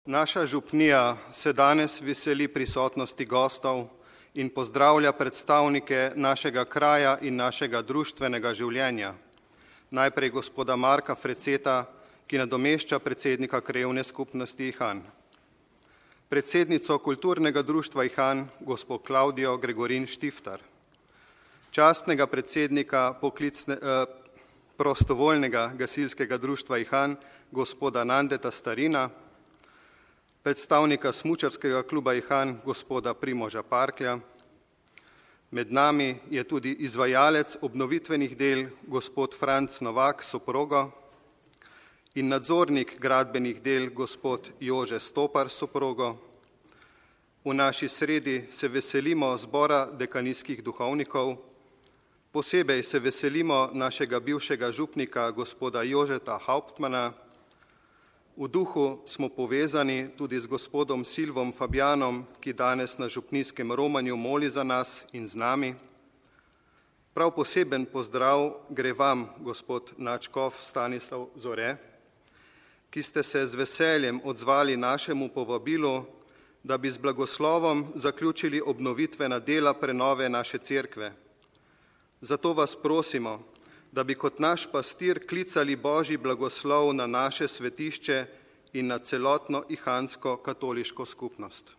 Naša župnija se danes veseli prisotnosti gostov in pozdravlja predstavnike našega kraja in našega društvenega življenja. Najprej gospoda Marka Freceta, ki nadomešča predsednika krajevne skupnosti Ihan. Predsednico kulturnega društva Ihan, gospod Klaudijo Gregorin Štiftar. Častnega predsednika prostovoljnega gasilskega društva Ihan, gospoda Nandeta Starina, predstavnika smučarskega kluba Ihan, gospoda Primoža Parklja. Med nami je tudi izvajalec obnovitvenih del, gospod Franc Novak s soprogo, in nadzornik gradbenih del, gospod Jože Stopar s soprogo. V naši sredi se veselimo zbora dekanijskih duhovnikov, posebej se veselimo našega bivšega župnika, gospoda Jožeta Hauptmana. V duhu smo povezani tudi z gospodom Silvom Fabjanom, ki danes na župnijskem romanju moli za nas in z nami. Prav poseben pozdrav gre vam, gospod nadškof Stanislav Zore, ki ste se z veseljem odzvali našemu povabilu, da bi z blagoslovom zaključili obnovitvena dela prenove naše cerkve. Zato vas prosimo, da bi kot naš pastir klicali Božji blagoslov na naše svetišče in na celotno ihansko katoliško skupnost.